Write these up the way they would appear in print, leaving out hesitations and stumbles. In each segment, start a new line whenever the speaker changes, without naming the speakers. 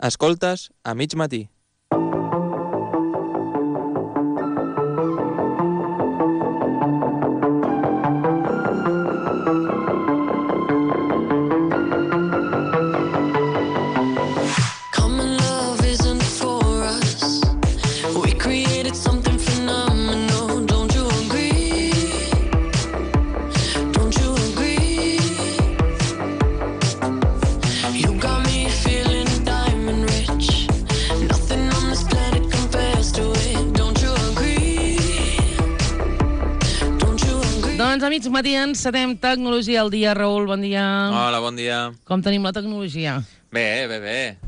Escoltes a mig matí.
Doncs, amics, matí encetem Tecnologia al dia. Raül, bon dia.
Hola, bon dia.
Com tenim la tecnologia?
Bé.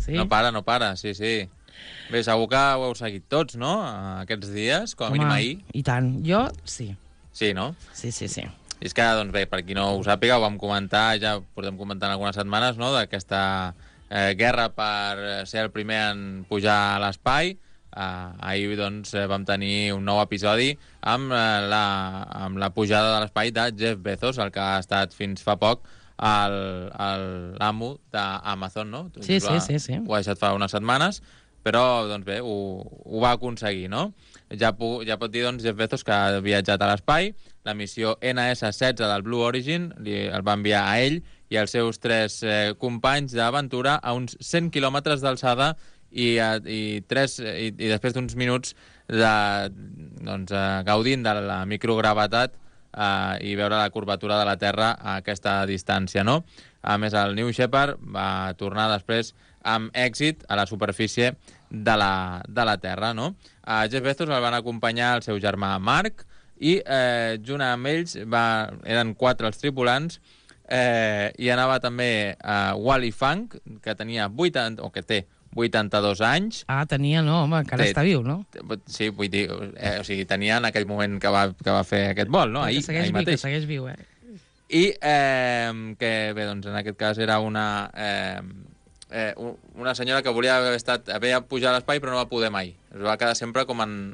Sí?
No para, sí. Bé, segur que ho heu seguit tots, no?, aquests dies, com a mínim ahir.
I tant. Jo, sí.
Sí, no?
Sí.
I és que, doncs bé, per qui no ho sàpiga, ho vam comentar, ja portem comentant algunes setmanes, no?, d'aquesta guerra per ser el primer en pujar a l'espai. Ahir, doncs, vam tenir un nou episodi amb la pujada de l'espai de Jeff Bezos, el que ha estat fins fa poc l'amo d'Amazon, no?
Sí.
Ho ha deixat fa unes setmanes, però, doncs bé, ho va aconseguir, no? Ja pot dir, doncs, Jeff Bezos que ha viatjat a l'espai. La missió NS-16 del Blue Origin el va enviar a ell i als seus 3 companys d'aventura a uns 100 quilòmetres d'alçada i després d'uns minuts gaudint de la microgravetat i veure la curvatura de la Terra a aquesta distància, no? A més, el New Shepard va tornar després amb èxit a la superfície de la Terra, no? A Jeff Bezos el van acompanyar el seu germà Mark i junt amb ells eren 4 els tripulants i anava també Wally Funk, que tenia 82 anys.
Tenia, no, home, encara està viu, no?
Sí, vull dir, o sigui, tenia en aquell moment que va fer aquest vol, no? Ahir mateix.
Que segueix viu,
I que, bé, doncs en aquest cas era una senyora que volia haver pujat a l'espai però no va poder mai. Es va quedar sempre com en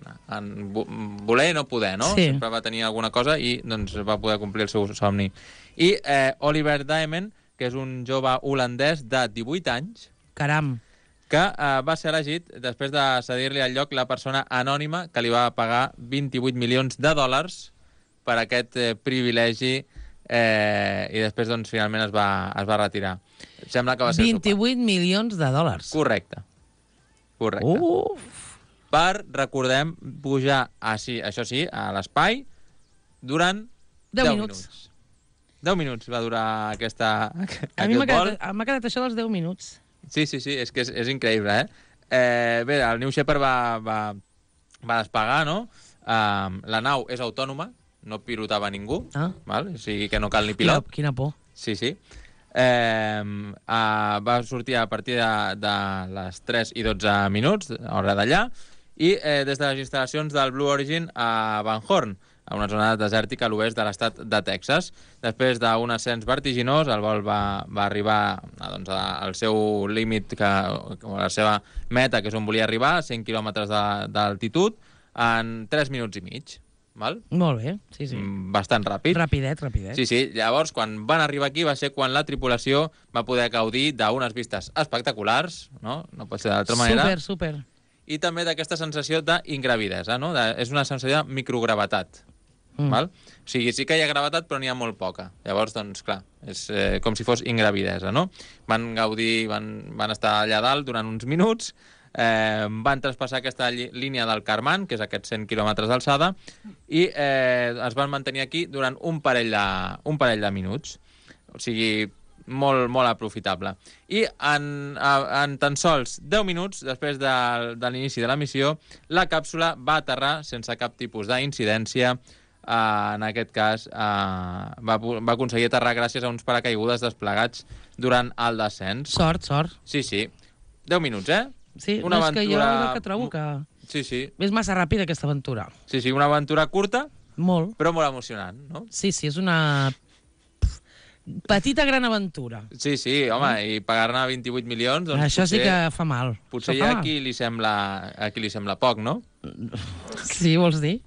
voler i no poder, no?
Sí.
Sempre va tenir alguna cosa i doncs va poder complir el seu somni. I Oliver Diamond, que és un jove holandès de 18 anys...
Caram!
Que va ser elegit després de cedir-li al lloc la persona anònima que li va pagar $28 milions per aquest privilegi i després, doncs, finalment es va retirar. Sembla que va ser
28 milions de dòlars.
Correcte. Per, recordem, pujar, això sí, a l'espai durant 10 minuts. 10 minuts va durar aquest vol.
M'ha quedat això dels 10 minuts.
Sí, és que és increïble, Bé, el New Shepard va despegar, no? La nau és autònoma, no pilotava ningú, val? O sigui que no cal ni pilot.
Quina por.
Sí. Va sortir a partir de les 3 i 12 minuts, hora d'allà, i des de les instal·lacions del Blue Origin a Van Horn, a una zona desèrtica a l'oest de l'estat de Texas. Després d'un ascens vertiginós, el vol va arribar al seu límit, a la seva meta, que és on volia arribar, 100 quilòmetres d'altitud, en 3 minuts i mig. Val?
Molt bé, sí.
Bastant ràpid.
Rapidet.
Sí. Llavors, quan van arribar aquí, va ser quan la tripulació va poder gaudir d'unes vistes espectaculars, no? No pot ser d'altra manera.
Super.
I també d'aquesta sensació d'ingravidesa, no? És una sensació de microgravetat. Val? O sigui, sí que hi ha gravetat, però n'hi ha molt poca. Llavors, doncs, clar, és com si fos ingravidesa, no? Van gaudir, van estar allà dalt durant uns minuts, van traspassar aquesta línia del Kármán, que és aquests 100 quilòmetres d'alçada, i es van mantenir aquí durant un parell de minuts. O sigui, molt aprofitable. I en tan sols 10 minuts, després de l'inici de la missió, la càpsula va aterrar sense cap tipus d'incidència. En aquest cas va aconseguir aterrar gràcies a uns paracaigudes desplegats durant el descens.
Sort.
Sí. 10 minuts,
Sí, una aventura... és que jo és el que trobo que...
Sí.
És massa ràpida aquesta aventura.
Sí, una aventura curta,
molt,
però molt emocionant, no?
Sí, és una petita gran aventura.
Sí, home, i pagar-ne 28 milions... Doncs
això sí que fa mal.
Potser hi ha a qui li sembla poc, no?
Sí, vols dir?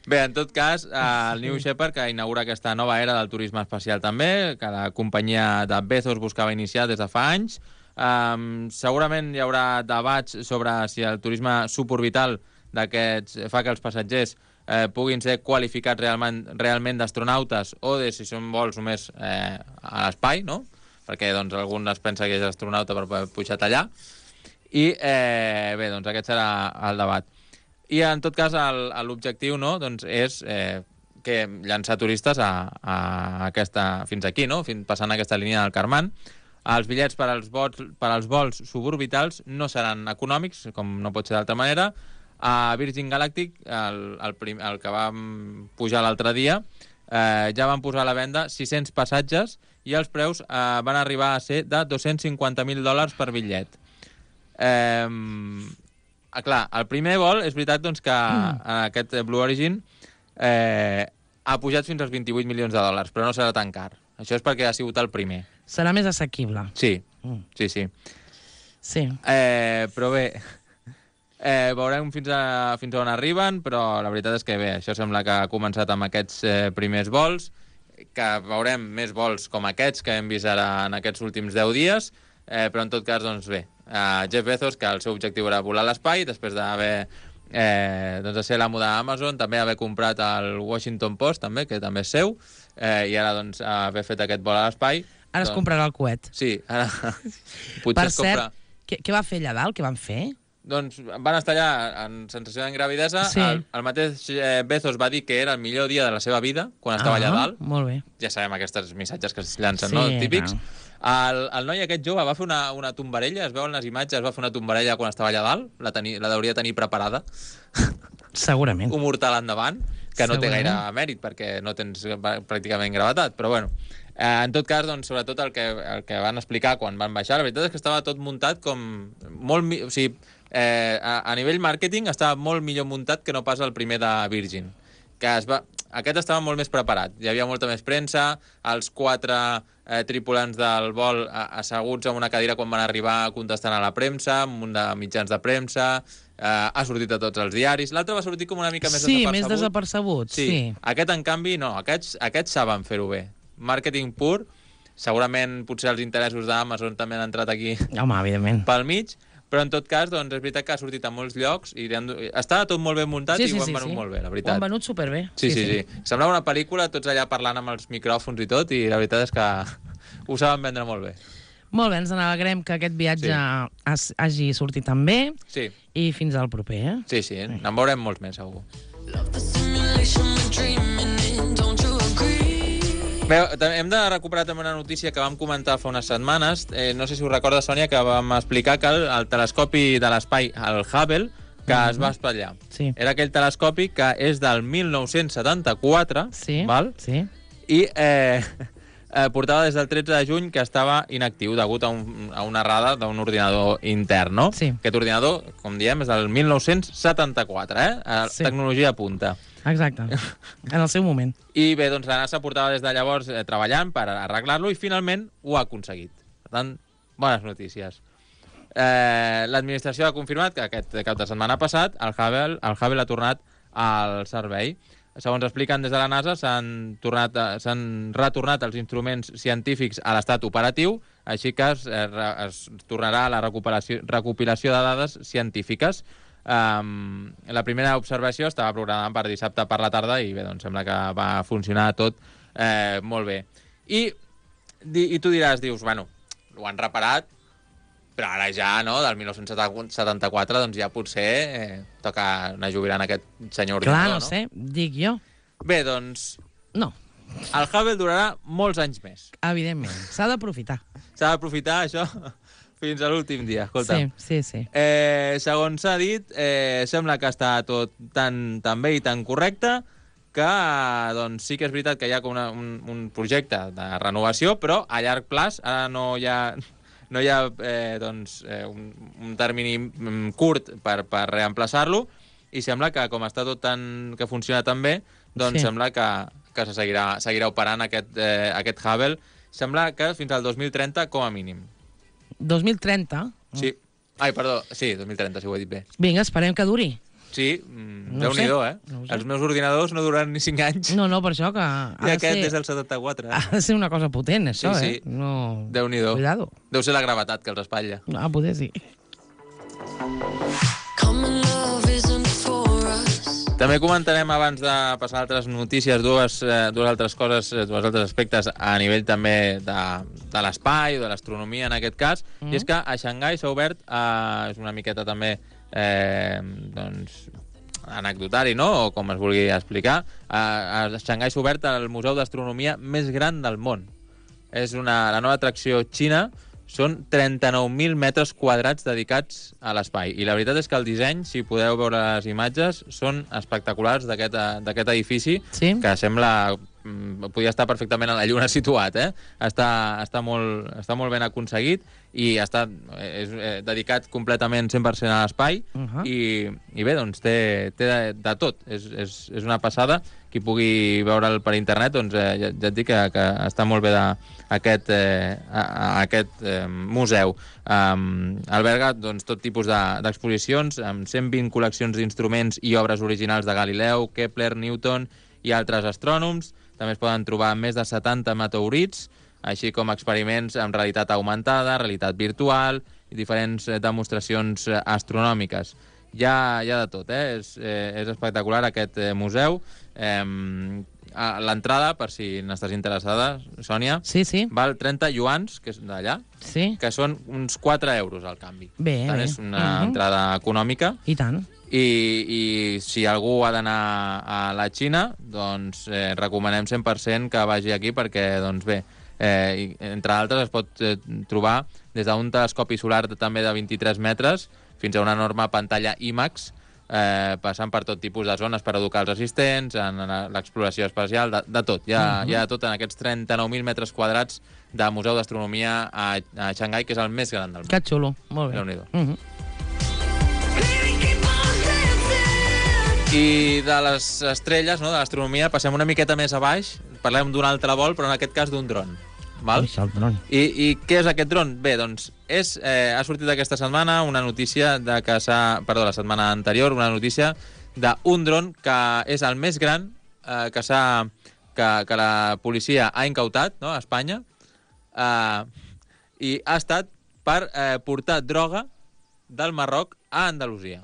Bé, en tot cas, el New Shepard, que inaugura aquesta nova era del turisme espacial també, que la companyia de Bezos buscava iniciar des de fa anys, Segurament hi haurà debats sobre si el turisme suborbital d'aquests fa que els passatgers puguin ser qualificats realment d'astronautes o de si són vols només a l'espai, no? Perquè doncs, algun es pensa que és astronauta per poder pujar allà. I bé, doncs aquest serà el debat. I en tot cas l'objectiu, no, doncs, és que llançar turistes fins aquí, no? Passant aquesta línia del Carmán. Els bitllets per als vols suborbitals no seran econòmics, com no pot ser d'altra manera. A Virgin Galactic, el que vam pujar l'altre dia, ja van posar a la venda 600 passatges i els preus van arribar a ser de $250.000 per bitllet. Clar, el primer vol, és veritat doncs, que aquest Blue Origin ha pujat fins als $28 milions, però no serà tan car. Això és perquè ha sigut el primer.
Serà més assequible.
Sí, sí.
Sí.
Però bé, veurem fins on arriben, però la veritat és que bé, això sembla que ha començat amb aquests primers vols, que veurem més vols com aquests que hem vist ara en aquests últims 10 dies, però en tot cas, doncs bé, Jeff Bezos, que el seu objectiu era volar a l'espai, després d'haver de ser l'amo d'Amazon, també haver comprat el Washington Post, també, que també és seu, i ara doncs haver fet aquest vol a l'espai.
Ara es comprarà el coet.
Sí, ara potser
per
es compra...
cert, què va fer allà dalt? Què van fer?
Doncs van estar allà en sensació d'ingravidesa.
Sí.
El mateix Bezos va dir que era el millor dia de la seva vida, quan estava allà dalt.
Molt bé.
Ja sabem aquests missatges que es llancen, no? Típics. No. El noi aquest jove va fer una tombarella, es veuen les imatges, va fer una tombarella quan estava allà dalt, la hauria de tenir preparada.
Segurament.
Un mortal endavant, que no té gaire mèrit, perquè no tens pràcticament gravetat, però bueno. En tot cas, doncs, sobretot el que van explicar quan van baixar, la veritat és que estava tot muntat com molt... O sigui, a nivell màrqueting estava molt millor muntat que no pas el primer de Virgin. Aquest estava molt més preparat. Hi havia molta més premsa, els 4 tripulants del vol asseguts en una cadira quan van arribar contestant a la premsa, amb un de mitjans de premsa, ha sortit a tots els diaris. L'altre va sortir com una mica més desapercebut.
Sí, més desapercebut, sí.
Aquest, en canvi, no. Aquests saben fer-ho bé. Màrqueting pur. Segurament, potser els interessos d'Amazon també han entrat aquí.
Home, evidentment.
Pel mig. Però, en tot cas, doncs, és veritat que ha sortit a molts llocs i estava tot molt ben muntat i ho han venut molt bé, la veritat.
Ho han venut superbé.
Sí. Semblava una pel·lícula, tots allà parlant amb els micròfons i tot, i la veritat és que ho saben vendre molt bé.
Molt bé, ens n'alegrem que aquest viatge hagi sortit tan bé.
Sí.
I fins al proper, eh?
Sí, en veurem molts més, segur. Bé, hem de recuperar també una notícia que vam comentar fa unes setmanes. No sé si us recorda, Sònia, que vam explicar que el telescopi de l'espai, el Hubble, que es va espatllar.
Sí.
Era aquell telescopi que és del 1974, val?
Sí.
I portava des del 13 de juny que estava inactiu degut a una errada d'un ordinador intern, no?
Sí.
Aquest ordinador, com diem, és del 1974,
Sí.
Tecnologia punta.
Exacte, en el seu moment.
I bé, doncs la NASA portava des de llavors treballant per arreglar-lo i finalment ho ha aconseguit. Per tant, bones notícies. L'administració ha confirmat que aquest cap de setmana passat el Hubble ha tornat al servei. Segons expliquen des de la NASA, s'han retornat els instruments científics a l'estat operatiu, així que es tornarà a la recopilació de dades científiques. La primera observació estava programada per dissabte per la tarda i bé, doncs sembla que va funcionar tot molt bé. I tu dius, bueno, ho han reparat, però ara ja, no?, del 1974, doncs ja potser toca anar jubilant aquest senyor ordinador,
no? Clar, no sé, dic jo.
Bé, doncs...
No.
El Hubble durarà molts anys més.
Evidentment, s'ha d'aprofitar.
S'ha d'aprofitar, això, fins a l'últim dia, escolta.
Sí.
Segons s'ha dit, sembla que està tot tan bé i tan correcte que doncs, sí que és veritat que hi ha com un projecte de renovació, però a llarg plaç ara no hi ha un termini curt per reemplaçar-lo i sembla que com està tot que funciona tan bé, doncs sembla que se seguirà operant aquest Hubble. Sembla que fins al 2030 com a mínim.
2030?
Sí. Ai, perdó, sí, 2030, si ho he dit bé.
Vinga, esperem que duri.
Sí,
No
Déu-n'hi-do,
sé, no ho sé.
Els meus ordinadors no duran ni 5 anys.
No, per això que...
I aquest des del 74.
Ha de ser una cosa potent, això,
Sí.
No...
Déu-n'hi-do.
Cuidado.
Deu ser la gravetat que els espatlla.
Poder sí.
També comentarem, abans de passar a altres notícies, dues altres coses, dos altres aspectes a nivell també de l'espai o de l'astronomia, en aquest cas, i és que a Xangai s'ha obert, és una miqueta també anecdotari, no?, o com es vulgui explicar, a Xangai s'ha obert el museu d'astronomia més gran del món. És la nova atracció xina. Són 39.000 metres quadrats dedicats a l'espai. I la veritat és que el disseny, si podeu veure les imatges, són espectaculars d'aquest edifici, que sembla... Podia estar perfectament a la Lluna situat, Està molt ben aconseguit i és dedicat completament 100% a l'espai i bé, doncs té de tot. És una passada. Qui pugui veure'l per internet, doncs ja et dic que està molt bé aquest museu. Alberga tot tipus d'exposicions, amb 120 col·leccions d'instruments i obres originals de Galileu, Kepler, Newton i altres astrònoms. També es poden trobar més de 70 meteorits, així com experiments amb realitat augmentada, realitat virtual i diferents demostracions astronòmiques. Hi ha de tot, És espectacular aquest museu. L'entrada, per si n'estàs interessada, Sònia, val 30 yuans, que és d'allà, que són uns 4 euros al canvi.
Bé.
És una entrada econòmica.
I tant.
I si algú ha d'anar a la Xina, doncs recomanem 100% que vagi aquí perquè, doncs bé, entre altres es pot trobar des d'un telescopi solar també de 23 metres fins a una enorme pantalla IMAX, passant per tot tipus de zones per educar els assistents, en l'exploració espacial, de tot. Hi ha de tot en aquests 39.000 metres quadrats de Museu d'Astronomia a Xangai, que és el més gran del món.
Que xulo, molt bé.
Déu-n'hi-do. I de les estrelles, de l'astronomia, passem una miqueta més a baix, parlem d'un altre vol, però en aquest cas d'un dron.
El dron.
I què és aquest dron? Bé, doncs, ha sortit aquesta setmana una notícia la setmana anterior, una notícia d'un dron que és el més gran que la policia ha incautat, a Espanya, i ha estat per portar droga del Marroc a Andalusia.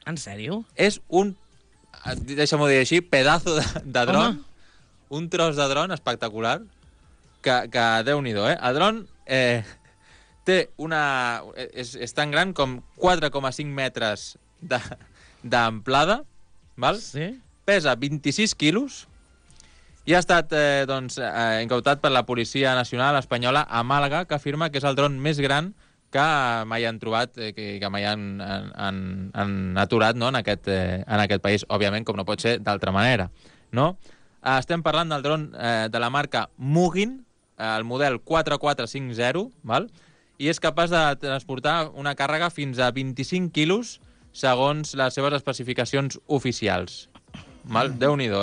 En sèrio?
És deixa'm-ho dir així, pedazo de dron, un tros de dron espectacular, que Déu-n'hi-do, El dron té és tan gran com 4,5 metres d'amplada, pesa 26 quilos i ha estat incautat per la Policia Nacional Espanyola a Màlaga, que afirma que és el dron més gran que mai han trobat, que mai han aturat en aquest país, òbviament, com no pot ser d'altra manera. Estem parlant del dron de la marca Mugin, el model 4450, i és capaç de transportar una càrrega fins a 25 quilos segons les seves especificacions oficials. Déu-n'hi-do,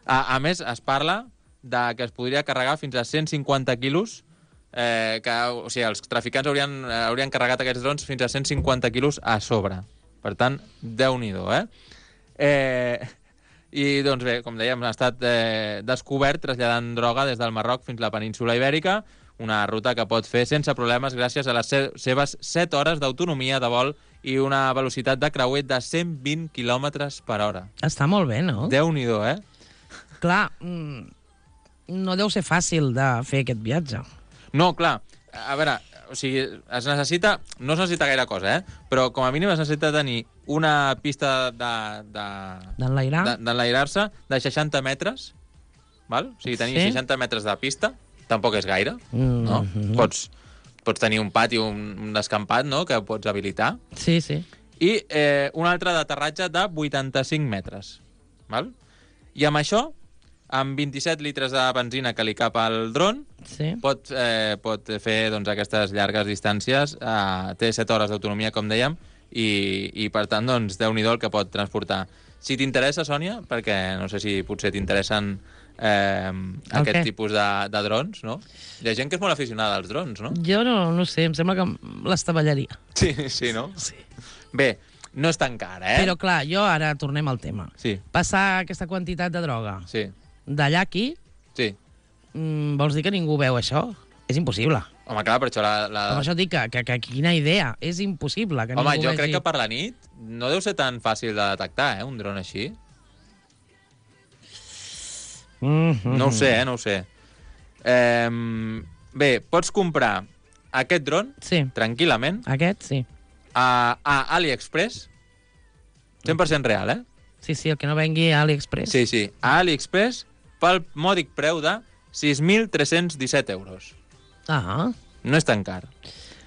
A més, es parla que es podria carregar fins a 150 quilos, els traficants haurien carregat aquests drons fins a 150 quilos a sobre. Per tant, Déu-n'hi-do, I, doncs bé, com dèiem, ha estat descobert traslladant droga des del Marroc fins a la península Ibèrica, una ruta que pot fer sense problemes gràcies a les seves 7 hores d'autonomia de vol i una velocitat de creuer de 120 km per hora.
Està molt bé, no?
Déu-n'hi-do,
Clar, no deu ser fàcil de fer aquest viatge.
No, clar, a veure, no es necessita gaire cosa, però com a mínim es necessita tenir una pista d'enlairar-se de 60 metres, o sigui, tenir 60 metres de pista, tampoc és gaire, no? Pots tenir un pati, un descampat, no?, que pots habilitar.
Sí.
I un altre d'aterratge de 85 metres, I amb això, amb 27 litres de benzina que li cap al dron, pot fer aquestes llargues distàncies. Té 7 hores d'autonomia, com dèiem, i per tant, Déu-n'hi-do el que pot transportar. Si t'interessa, Sònia, perquè no sé si potser t'interessen aquest tipus de drons, no? Hi ha gent que és molt aficionada als drons, no?
Jo no sé, em sembla que l'estavellaria.
Sí, no?
Sí.
Bé, no és tan car, eh?
Però clar, jo ara tornem al tema.
Sí.
Passar aquesta quantitat de droga
Sí.
d'allà a aquí,
Sí.
vols dir que ningú veu això? És impossible.
Home, clar, per això
Per això dic que quina idea. És impossible que
Home,
ningú
jo
vegi...
crec que per la nit no deu ser tan fàcil de detectar, un dron així. No ho sé, no ho sé. Bé, pots comprar aquest dron
Sí,
tranquil·lament
aquest sí.
a AliExpress, 100% real, eh?
Sí, el que no vengui a AliExpress.
Sí, a AliExpress pel mòdic preu de 6.317 euros.
Ah,
No és tan car.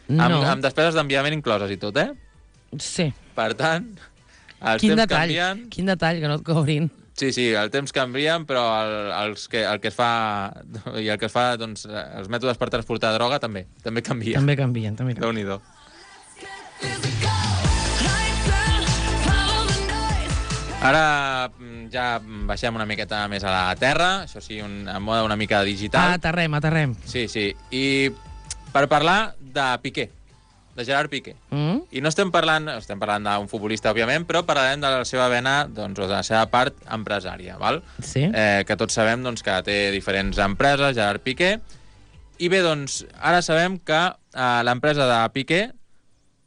no.
Amb despeses d'enviament incloses i tot, eh?
Sí.
Per tant, els
Quin
temps
detall,
canvien...
quin detall, que no et cobrin.
Sí, el temps canvien, però el que es fa i el que es fa, doncs, els mètodes per transportar droga també canvien.
També canvien, també canvien.
Déu-n'hi-do. Ara ja baixem una miqueta més a la terra, això sí, en mode una mica digital.
Aterrem.
Sí, i per parlar de Piqué, de Gerard Piqué. I no estem parlant d'un futbolista, òbviament, però parlarem de la seva vena, doncs, o de la seva part empresària, val?
Sí.
Que tots sabem doncs, que té diferents empreses, Gerard Piqué, i bé, doncs, ara sabem que l'empresa de Piqué,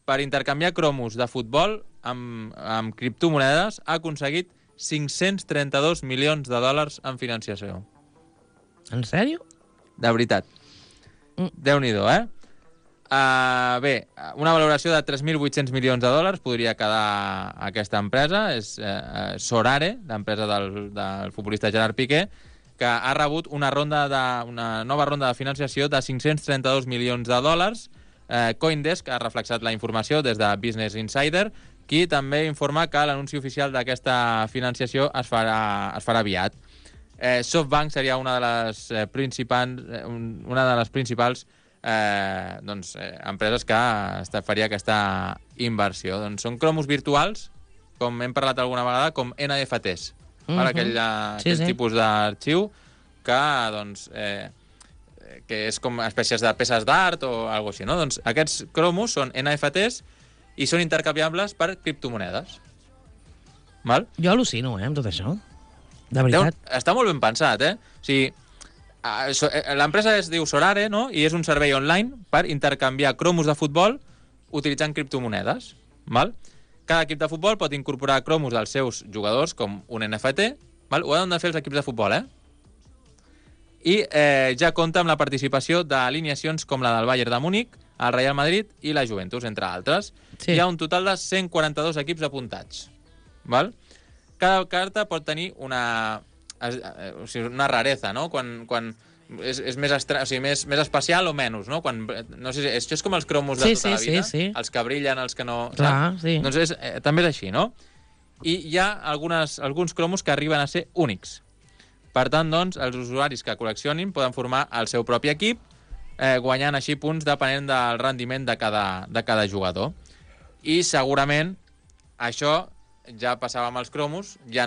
per intercanviar cromos de futbol amb criptomonedes, ha aconseguit 532 milions de dòlars en financiació.
En sèrio?
De veritat. Déu-n'hi-do, eh? Bé, una valoració de 3.800 milions de dòlars podria quedar aquesta empresa, és Sorare, l'empresa del futbolista Gerard Piqué, que ha rebut una nova ronda de financiació de 532 milions de dòlars. CoinDesk ha reflexat la informació des de Business Insider, qui també informa que l'anunci oficial d'aquesta financiació es farà aviat. SoftBank seria una de les principals empreses que faria aquesta inversió. Doncs són cromos virtuals, com hem parlat alguna vegada, com NFTs, aquell tipus d'arxiu que, doncs, que és com espècies de peces d'art o alguna cosa així, no? Doncs aquests cromos són NFTs i són intercanviables per criptomonedes. Val?
Jo al·lucino, amb tot això. De veritat.
Està molt ben pensat, eh? O sigui, l'empresa es diu Sorare, no? I és un servei online per intercanviar cromos de futbol utilitzant criptomonedes. Val? Cada equip de futbol pot incorporar cromos dels seus jugadors com un NFT. Val? Ho han de fer els equips de futbol, eh? I ja compta amb la participació d'alineacions com la del Bayern de Múnich, el Real Madrid i la Juventus, entre altres.
Sí.
Hi ha un total de 142 equips apuntats. Val? Cada carta pot tenir una rareza, no? Quan és més especial o menys, no? No sé, això és com els cromos de tota la vida, els que brillen, els que no...
Clar, sí.
Doncs també és així, no? I hi ha alguns cromos que arriben a ser únics. Per tant, doncs, els usuaris que col·leccionin poden formar el seu propi equip, guanyant així punts depenent del rendiment de cada jugador. I segurament això ja passava amb els cromos, hi ha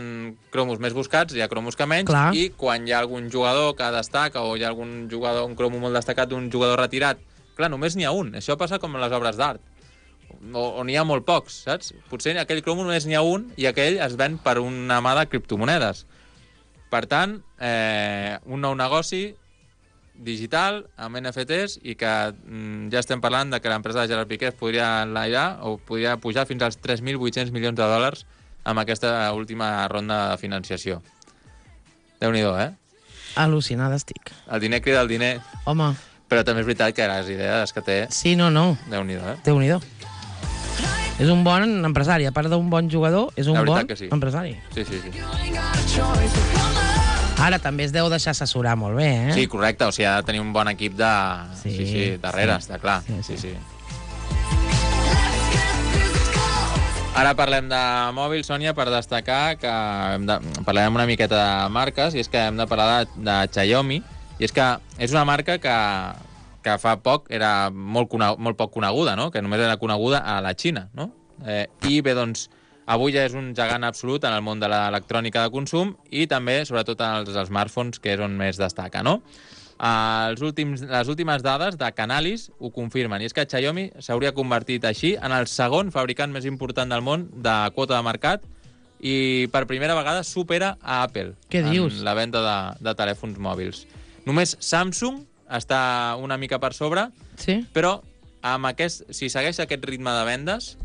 cromos més buscats, hi ha cromos que menys,
clar.
I quan hi ha algun jugador que destaca o hi ha algun jugador, un cromo molt destacat d'un jugador retirat, clar, només n'hi ha un. Això passa com en les obres d'art, on n'hi ha molt pocs, saps? Potser aquell cromo només n'hi ha un i aquell es ven per una mà de criptomonedes. Per tant, un nou negoci digital amb NFTs i que ja estem parlant de que l'empresa de Gerard Piqué es podria enlairar o podria pujar fins als 3.800 milions de dòlars amb aquesta última ronda de financiació. Déu-n'hi-do, eh?
Al·lucinada estic.
El diner crida el diner.
Home.
Però també és veritat que les idees que té...
Sí, no.
Déu-n'hi-do, eh?
Déu-n'hi-do. És un bon empresari. A part d'un bon jugador, és un bon empresari.
Sí.
Ara també es deu deixar assessorar molt bé, eh?
Sí, correcte. O sigui, ha de tenir un bon equip darrere, està clar. Sí. Ara parlem de mòbil, Sònia, per destacar que parlarem una miqueta de marques, i és que hem de parlar de Xiaomi, i és que és una marca que fa poc era molt poc coneguda, no? Que només era coneguda a la Xina, no? I bé, doncs, avui ja és un gegant absolut en el món de l'electrònica de consum i també, sobretot, en els smartphones, que és on més destaca, no? Les últimes dades de Canalys ho confirmen, i és que Xiaomi s'hauria convertit així en el segon fabricant més important del món de quota de mercat i per primera vegada supera a Apple en la venda de telèfons mòbils. Només Samsung està una mica per sobre, però si segueix aquest ritme de vendes,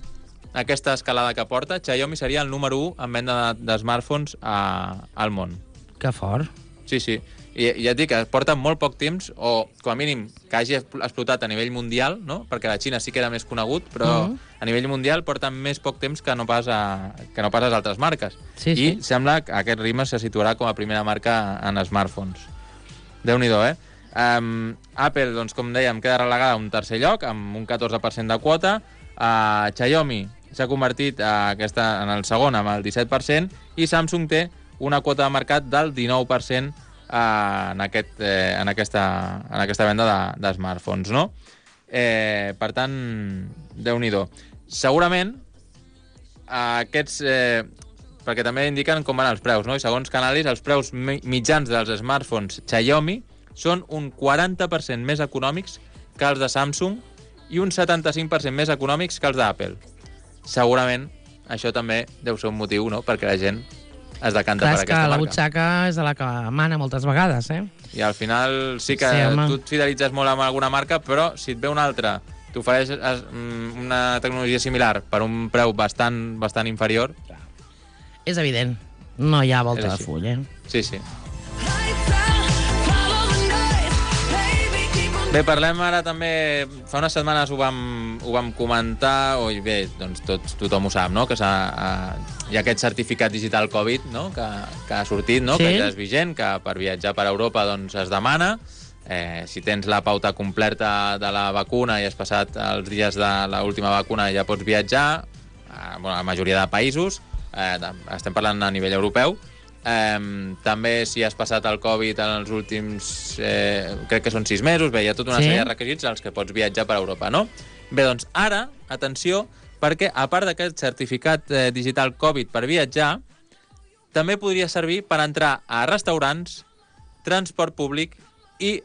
aquesta escalada que porta, Xiaomi seria el número 1 en venda de smartphones al món.
Que fort.
Sí. I ja et dic que porta molt poc temps, o com a mínim que hagi explotat a nivell mundial, no? Perquè la Xina sí que era més conegut, però a nivell mundial porta més poc temps que no pas les altres marques. I sembla que aquest ritme se situarà com a primera marca en smartphones. Déu-n'hi-do, Apple, doncs, com dèiem, queda relegada a un tercer lloc, amb un 14% de quota. Xiaomi s'ha convertit en el segon, amb el 17%, i Samsung té una quota de mercat del 19% en aquesta venda de smartphones, no? Per tant, Déu-n'hi-do. Segurament, aquests... perquè també indiquen com van els preus, no? I segons Canalys, els preus mitjans dels smartphones Xiaomi són un 40% més econòmics que els de Samsung i un 75% més econòmics que els d'Apple. Segurament, això també deu ser un motiu, no?, perquè la gent es decanta per aquesta marca. Clar, és que
la butxaca és la que mana moltes vegades,
I al final sí que tu et fidelitzes molt amb alguna marca, però si et ve una altra, t'ofereix una tecnologia similar per un preu bastant inferior...
És evident. No hi ha volta de full,
Sí. Bé, parlem ara també... Fa unes setmanes ho vam comentar, bé, doncs tothom ho sap, no?, que hi ha aquest certificat digital Covid, no?, que ha sortit, no?, que ja és vigent, que per viatjar per Europa doncs es demana. Si tens la pauta completa de la vacuna i has passat els dies de l'última vacuna ja pots viatjar, a la majoria de països, estem parlant a nivell europeu. També si has passat el Covid en els últims, crec que són 6 mesos, bé, hi ha tota una sèrie de requisits als que pots viatjar per Europa, no? Bé, doncs ara, atenció, perquè a part d'aquest certificat digital Covid per viatjar, també podria servir per entrar a restaurants, transport públic i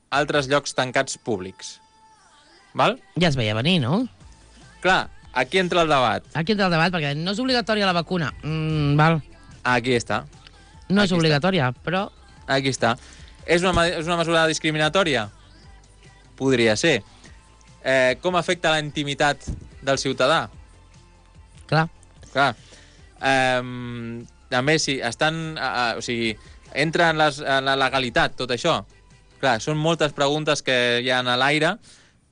altres llocs tancats públics. Val?
Ja es veia venir, no?
Clar, aquí entra el debat.
Aquí entra el debat, perquè no és obligatòria la vacuna. Val.
Aquí està.
No és obligatòria, però...
Aquí està. És una mesura discriminatòria? Podria ser. Com afecta la intimitat del ciutadà?
Clar.
També, si estan... O sigui, entra en la legalitat, tot això. Clar, són moltes preguntes que hi ha a l'aire,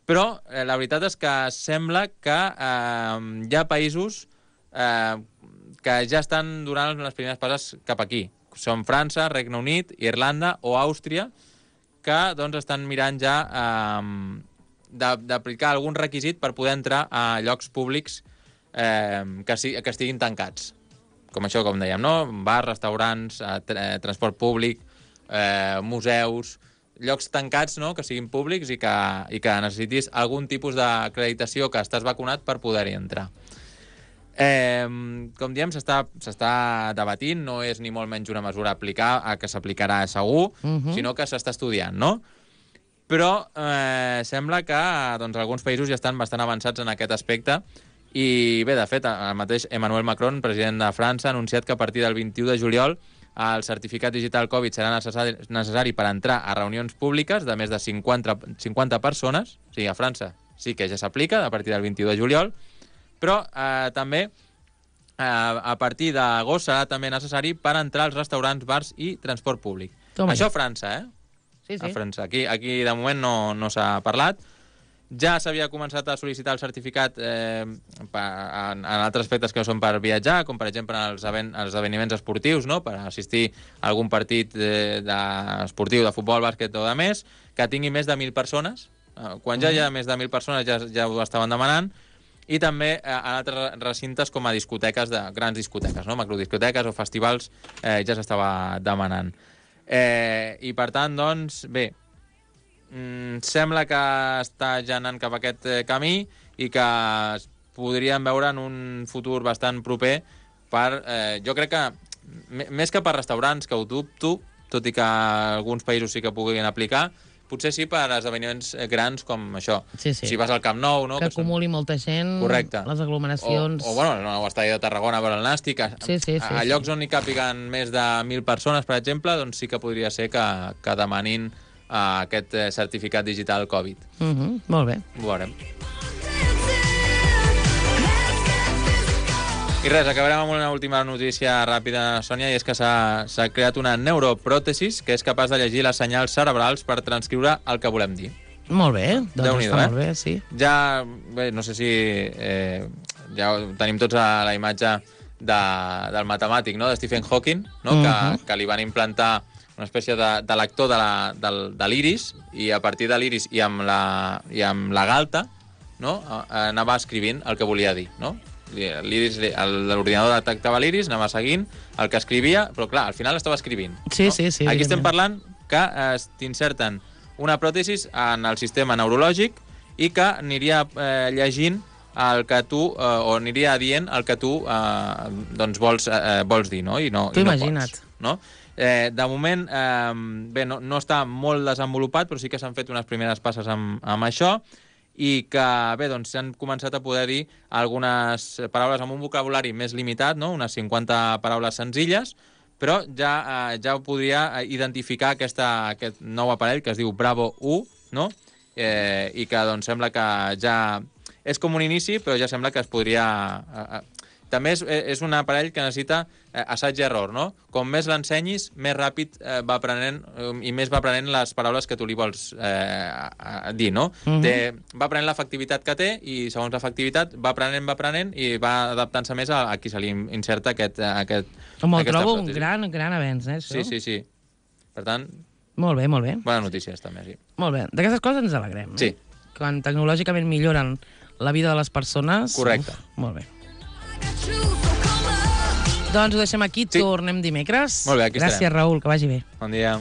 però la veritat és que sembla que hi ha països que ja estan donant les primeres passes cap aquí. Són França, Regne Unit, Irlanda o Àustria, que doncs, estan mirant ja d'aplicar algun requisit per poder entrar a llocs públics que estiguin tancats. Com això, com dèiem, no? Bars, restaurants, transport públic, museus, llocs tancats, no?, que siguin públics i que necessitis algun tipus d'acreditació que estàs vacunat per poder-hi entrar. Com diem, s'està debatint, no és ni molt menys una mesura a aplicar, que s'aplicarà segur, sinó que s'està estudiant, no? Però sembla que doncs, alguns països ja estan bastant avançats en aquest aspecte i bé, de fet, el mateix Emmanuel Macron, president de França, ha anunciat que a partir del 21 de juliol el certificat digital Covid serà necessari per entrar a reunions públiques de més de 50 persones, o sigui, a França sí que ja s'aplica a partir del 21 de juliol, però també a partir d'agost serà també necessari per entrar als restaurants, bars i transport públic. Això a França,
Sí.
A França. Aquí de moment no s'ha parlat. Ja s'havia començat a sol·licitar el certificat en altres aspectes que no són per viatjar, com per exemple els esdeveniments esportius, no?, per assistir a algun partit esportiu de futbol, bàsquet o de més, que tingui més de 1.000 persones. Quan ja hi ha més de 1.000 persones ja ho estaven demanant. I també en altres recintes com a discoteques, grans discoteques, no?, macrodiscoteques o festivals, ja s'estava demanant. I per tant, doncs, bé, sembla que està ja anant cap a aquest camí i que es podríem veure en un futur bastant proper per... jo crec que, més que per restaurants, que ho dubto, tot i que alguns països sí que puguin aplicar, potser sí per a esdeveniments grans com això.
Sí.
Si vas al Camp Nou... No?
Que acumuli molta gent, correcte, les aglomeracions...
O bueno, el nou estadi de Tarragona per al Nàstic. A llocs on hi càpiguen més de 1.000 persones, per exemple, doncs sí que podria ser que demanin aquest certificat digital Covid.
Molt bé.
Ho veurem. I res, acabarem amb una última notícia ràpida, Sònia, i és que s'ha creat una neuropròtesis que és capaç de llegir les senyals cerebrals per transcriure el que volem dir.
Molt bé, doncs està molt bé, sí.
Ja, bé, no sé si ja tenim tots a la imatge del matemàtic, no?, de Stephen Hawking, no?, que li van implantar una espècie de lector de l'iris, i a partir de l'iris i amb la galta, no?, anava escrivint el que volia dir, no? L'ordinador detectava l'iris, anava seguint el que escrivia, però clar, al final estava escrivint.
Sí.
Aquí estem parlant que t'inserten una pròtesis en el sistema neurològic i que aniria llegint el que tu, o aniria dient el que tu doncs vols dir, no? I no
imagina't.
Pots, no? De moment, bé, no està molt desenvolupat, però sí que s'han fet unes primeres passes amb això, i que, bé, doncs s'han començat a poder dir algunes paraules amb un vocabulari més limitat, no?, unes 50 paraules senzilles, però ja ho podria identificar aquest nou aparell que es diu Bravo 1, no?, i que doncs sembla que ja és com un inici, però ja sembla que es podria... També és un aparell que necessita assaig i error, no? Com més l'ensenyis, més ràpid va aprenent i més va aprenent les paraules que tu li vols dir, no? Va aprenent l'efectivitat que té i, segons l'efectivitat, va aprenent i va adaptant-se més a qui se li inserta aquesta
trobo un gran avenç, això.
Sí. Per tant...
Molt bé.
Bones notícies, també, sí.
Molt bé. D'aquestes coses ens alegrem.
Sí.
Quan tecnològicament milloren la vida de les persones...
Correcte.
Molt bé. Doncs ho deixem aquí, tornem dimecres.
Molt bé, aquí estarem.
Gràcies, Raül, que vagi bé.
Bon dia.